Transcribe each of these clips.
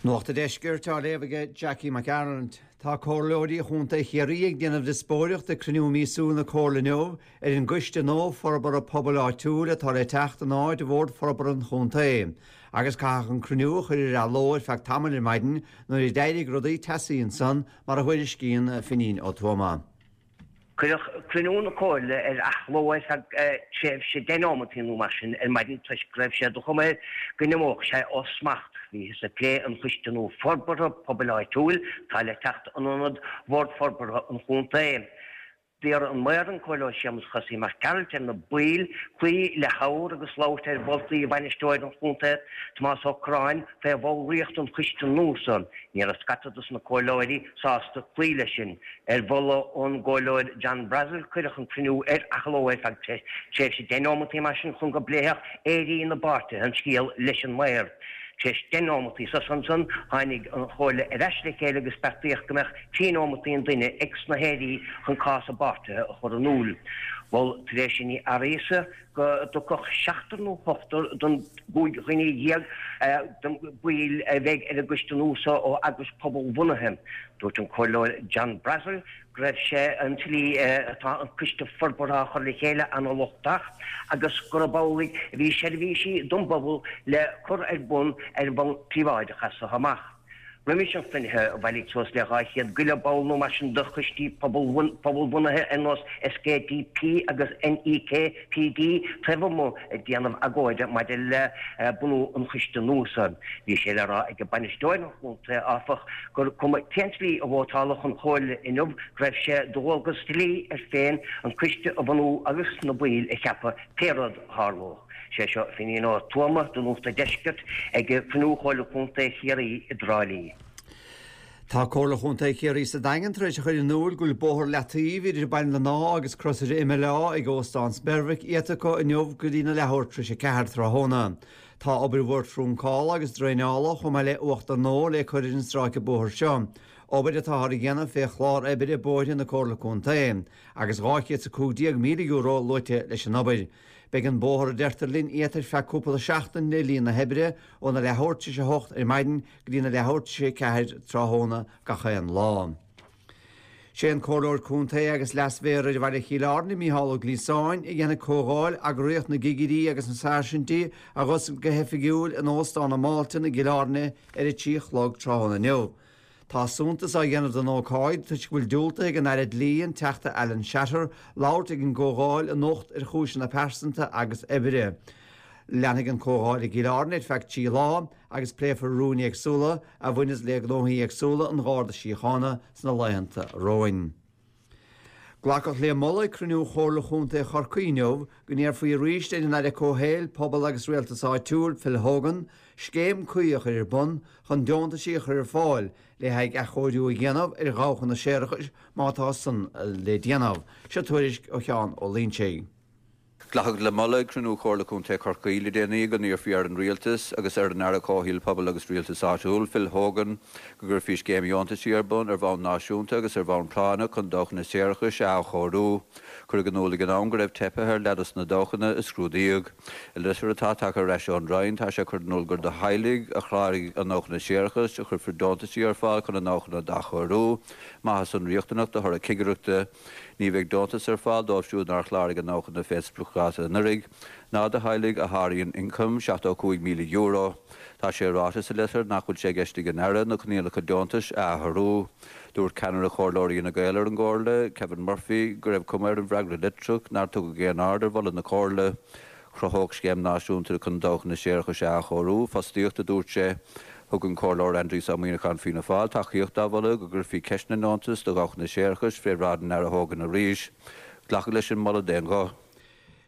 Nuacht an Deiscirt á léamh aige Jackie Mac Gearailt. Tá Comhairleoirí Chontae Chiarraí ag déanamh diospóireacht ag cruinniú míosúil na Comhairle inniu ar an gCoiste nua Forbartha Pobail Áitiúil atá le teacht in áit Bhord Forbartha an Chontae. Agus caitheadh an cruinniú a chur ar athló ar feadh tamaill ar maidin nuair a d'éirigh rudaí teasaí ansan mar a thuairiscíonn Finín Ó Tuama. Cuireadh cruinniú na Comhairle ar athló ar feadh tréimhse 10 neomataí nó mar sin ar maidin toisc go raibh sé de chuma air go n-imeodh sé ó smacht. Bhíothas ag plé an Choiste nua Forbartha Pobail Áitiúil atá le teacht in ionad Bhord Forbartha an Chontae. D'iarr an Maor, an Comhairleoir Séamus Chosaí Mac Gearailt, ar na baill cloí le habhar agus labhairt ar mholtaí Bhainisteoir an Chontae, Tomás Ó Curráin, fé bhallraíocht an choiste nua so. Ní raibh scata dos na comhairleoirí sásta cloí leis sin. Ar mholadh ón gComhairleoir John Brassil cuireadh an cruinniú ar athló ar feadh tréimhse 10 neomataí mar sin chun go bpléifeadh aoirí na bpáirtithe an scéal leis an Maor. Tar éis 10 neomataí sosa ansan tháinig an Chomhairle ar ais le chéile agus beartaíodh go mbeadh 3 neomataí an duine ag sna haoirí chun cás a bpáirtithe a chur in iúl. Mhol Theresa Ní Fhearghusa go dtiocfadh seachtar nó ochtar den gcúig dhuine dhéag de bhaill a bheidh ar an gcoiste nua so ó eagrais pobalbhunaithe. Dúirt an Comhairleoir John Brassil go raibh sé an tslí atá an coiste forbartha á chur le chéile ana-lochtach agus gurb amhlaidh a bhí seirbhísí don bpobal le cur ar bun ar bhonn príobháideach as so amach. Roimis an chruinnithe, bhailigh suas le 200 go leith ball nó mar sin de choistí pobalbhunaithe ar nós SKDP agus NEKPD taobh amuigh ag déanamh agóide maidir le bunú an choiste nua so. Bhí sé le rá ag bainisteoir an chontae, áfach, gur cuma cén tslí a vótálfadh an chomhairle inniu go raibh sé de dhualgas dlí air féin an coiste a bhunú agus na baill a cheapadh pé rud a tharlódh. Sé seo Finín Ó Tuama do Nuacht an Deiscirt ag cruinniú Chomhairle Contae Chiarraí i dTrá Lí. Tá Comhairle Chontae Chiarraí sa Daingean tar éis a chur in iúl go bhfuil bóthar leataoibh idir Baile na nÁdh agus Crosaire Imileá ag Óstán Spéirmhic iata acu inniu go dtí na leathuair tar éis 4 tráthnóna. Tá obair mhór trúncála agus draenála chomh maith le uachtar nua le cur ar an stráice bóthair seo, obair atáthar a dhéanamh fé chlár oibre bóithre na Comhairle Contae, agus €215,000 luaite leis an obair. Beidh an bóthar, a deirtear linn, iata ar feadh cúpla seachtain le linn na hoibre, óna leathuair tar éis a hocht ar maidin go dtí na leathuair tar éis a ceathair tráthnóna gach aon lá. Sé an Comhairleoir Contae agus Leas-Mhéara ar Bhaile Chill Airne, Mícheál Ó Gliasáin, a dhéanfaidh Comhdháil Eagraíocht na gCigirí agus na Sáirsintí a dh'oscailt go hoifigiúil in Óstán an Mhalton i gCill Airne ar a 3 a chlog tráthnóna inniu. Tá suntas á dhéanamh den ócáid toisc go bhfuil diúltaithe ag an Aire Dlí, an Teachta Alan Shatter, labhairt ag an gcomhdháil anocht ar chúiseanna pearsanta agus oibre. Leanfaidh an chomhdháil i gCill Airne ar feadh 3 lá agus pléifear rúin éagsúla a bhaineas le gnóthaí éagsúla an Gharda Síochána sna laethanta romhainn. Glacadh le moladh ag cruinniú Chomhairle Chontae Chorcaí inniu go n-iarrfaí arís ar an Aire Comhshaoil, Pobal agus Rialtais Áitiúil, Phil Hogan, scéim cuí a chur ar bun chun deontaisí a chur ar fáil le haghaidh athchóiriú a dhéanamh ar dhabhchanna séarachais má tá san le déanamh. Seo tuairisc ó Sheán Ó Loinsigh. Glacadh le moladh ag cruinniú Chomhairle Contae Chorcaí le déanaí go n-iarrfaí ar an Rialtas agus ar an Aire Comhshaoil, Pobail agus Rialtais Áitiúil, Phil Hogan, go gcuirfí scéim dheontaisí ar bun ar bhonn náisiúnta agus ar bhonn práinneach chun dabhchanna séarachais a athchóiriú. Cuireadh in iúl ag an am go raibh teipthe ar leath dos na dabhchanna a scrúdaíodh. I litir atá tagtha ar ais ón Roinn, tá sé curtha in iúl gur do theaghlaigh a chláraigh i ndabhchanna séarachais a chuirfear deontaisí ar fáil chun a ndabhchanna d'athchóiriú, má tá san riachtanach de thoradh cigireachta. Ní bheidh deontas ar fáil dóibh siúd nár chláraigh i ndabhchanna fén spriocdháta anuraidh, ná do theaghlaigh a sháraíonn ioncam €75,000. Tá sé ráite sa litir nach bhfuil sé i gceist ag an Aire na coinníollacha deontais a athrú. Dúirt ceannaire Chomhairleoirí Fhine Gael ar an gComhairle, Kevin Murphy, go raibh cuma ar an bhfreagra litreach nár tugadh aon aird ar mholadh na Comhairle. Chruthódh scéim náisiúnta chun dabhchanna séarachais a athchóiriú fostaíocht, a dúirt sé. Thug an Comhairleoir Aindrias Ó Muíneacháin Fianna Fáil tacaíocht dá mholadh go gcuirfí ceist na ndeontas do dhabhchanna séarachais fé bhráid an Aire Hogan arís. Glacadh leis an moladh d'aon ghuth.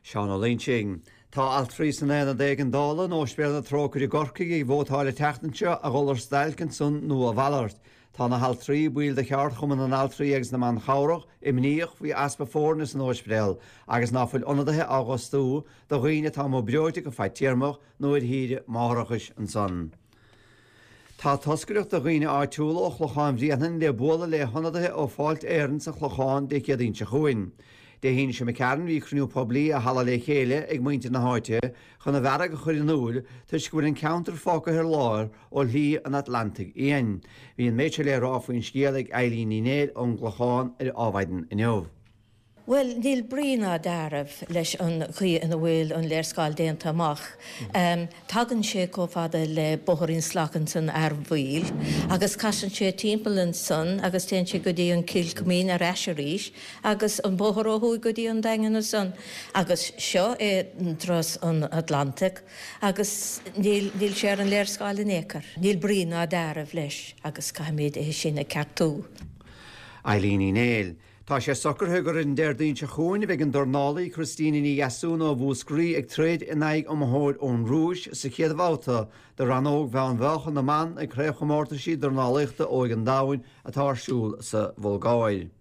Seán Ó Loinsigh. Tá altraí san Aonad Éigeandála in Óispidéal na Trócaire i gCorcaigh ag vótáil an tseachtain seo a dhul ar stailc ansan nó a mhalairt. Tá na haltraí, baill de Cheardchumann na nAltraí agus na mBan Chabhrach, imníoch faoi easpa foirne san óispidéal agus ná fuil ionadaithe á bhfostú do dhaoine atá amuigh breoite go fadtéarmach nó ar shaoire máithreachais ansan. Tá toscaireacht de dhaoine áitiúla ó Chlochán Bhréanainn le bualadh le hionadaithe ó Fáilte Éireann sa Chlochán Dé Céadaoin seo chugainn. Dé hAoine seo imigh tharainn bhí cruinniú poiblí i Halla Le Chéile ag muintir na háite chun a bhfearg a chur in iúil toisc go bhfuil an ceantar fágtha ar lár ó Shlí an Atlantaigh Fhiáin. Bhí an méid seo le rá faoin scéal ag Eilín Ní Néill ón gClochán ar Adhmhaidin inniu. Bhuel, níl brí ná dealramh leis an chaoi ina bhfuil an léarscáil déanta amach. Tagann sé chomh fada le Bóthairín Salach ansan Earmhaoil agus casann sé timpeall ansan agus téann sé go dtí an Cill Coimín ar ais arís agus an bóthar ó thuaidh go dtí an Daingean ansan agus seo é turas an Atlantaigh agus níl, níl sé ar an léarscáil in aon chor. Níl brí ná dealramh leis agus caithfimid é sin a cheartú. Eilín Ní Néill. Tá sé socraithe gur ar an Déardaoin seo chugainn a bheidh an dornálaí Christina Ní Dheasún ó Mhúscraí ag troid in aghaidh iomaitheoir ón Rúis sa chéad bhabhta de rannóg mheánmheáchan na mban ag Craobhchomórtaisí Dornálaíochta Óige an Domhain atá ar siúl sa Bhulgáir.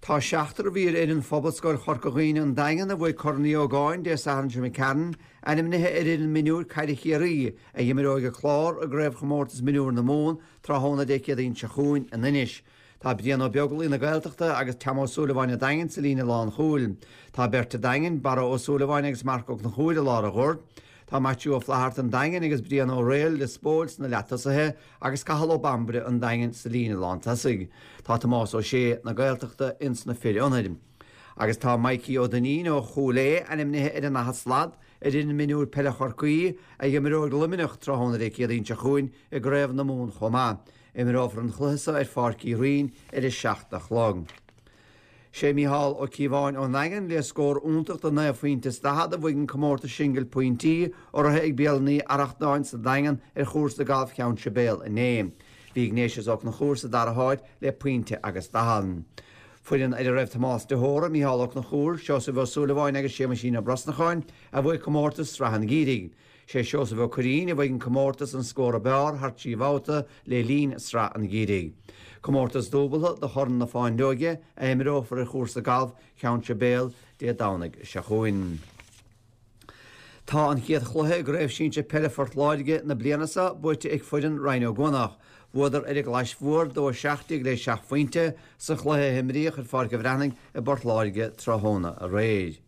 Tá seachtar a bhí ar fhoireann Phobalscoil Chorca Dhuibhne an Daingean a bhuaigh Corn Uí Ógáin Dé Sathairn seo imigh tharainn ainmnithe ar fhoireann mionúir caide Chiarraí a imreoidh an Clár i gCraobhchomórtas Mionúir na Mumhan tráthnóna Dé Céadaoin seo chugainn in Inis. Tá Brian Ó Beaglaoi na Gaeltachta agus Tom Ó Súilleabháin an Daingin sa líne lánchúil. Tá beirt an Daingin, Barra Ó Súilleabháin agus Marc Ó Conchúir i lár an ghoirt. Tá Maitiú Ó Flaithearta an Daingin agus Brian Ó Raoill Lios Póil sna leatosaithe agus Cathal Ó Bambaire an Daingin sa líne lántosaigh. Tá Tomás Ó Sé na Gaeltachta ins na fir ionaid. Agus tá Mikey Ó Duinnín ó Chúil Aodha ainmnithe ar an daichead slat ar fhoireann mionúir peile Chorcaí a imreoidh Luimneach tráthnóna Dé Céadaoin seo chugainn i gCraobh na Mumhan chomh maith. Imreofar an chluiche seo ar Pháirc Uí Rinn ar a 7 a chlog. Sé Mícheál Ó Cíobháin ón nDaingean le scór iontach de 9 phointe is 40 a bhuaigh an comórtas singil pointí, urraithe ag Bialann Uí Arrachtáin sa Daingean ar chúrsa gailf Cheann Sibéal inné. Bhí Ignatius Ó Conchúir sa dara háit le pointe agus 40. Foireann ar a raibh Tomás de hÓra, Mícheál Ó Conchúir, Seosamh Ó Súilleabháin agus Séamuisín Ó Brosnacháin a bhuaigh comórtas Sraith an Gheimhridh. Sé Seosamh Ó Curraoin a bhuaigh an comórtas an scór ab fhearr thar 3 bhabhta le linn Sraith an Gheimhridh. Comórtas dúbaltha do Chorn na Fáinleoige a imreofar ar chúrsa gailf Cheann Sibéal Dé Domhnaigh seo chugainn. Tá an chéad chluiche i gCraobh Sinsir Peile Phort Láirge na bliana seo buaite ag foireann Rinn Ó gCuanach. Bhuadar ar an gClais Mhór 2-17 le 7 phointe sa chluiche a imríodh ar Pháirc an Bhreathnaigh i bPort Láirge tráthnóna aréir.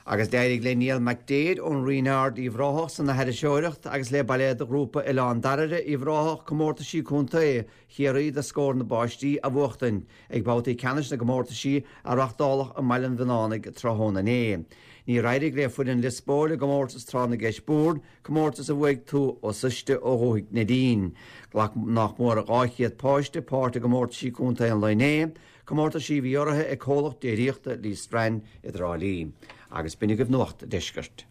Agus d'éirigh le Niall Mac Daid ón Rinn Ard Uíbh Ráthach san aithriseoireacht agus le Bailéad Ghrúpa Oileán Dairbhre Uíbh Ráthach comórtaisí contae Chiarraí do Scór na bPáistí a bhuachtaint ag babhtaí ceannais na gcomórtaisí a reachtáladh i mBaile an Mhionnánaigh tráthnóna inné. Níor éirigh le foireann Lios Póil i gcomórtas Tráth na gCeist Boird, comórtas a bhuaigh Tuath Ó Suiste ó Dhúthaigh Neidín. Ghlac nach mór 200 páiste páirt i gcomórtaisí contae an lae inné, Comórtaisí a bhí urraithe ag comhlacht déiríochta Lee Strand i dTrá Lí. Agus b'in agaibh Nuacht an Deiscirt.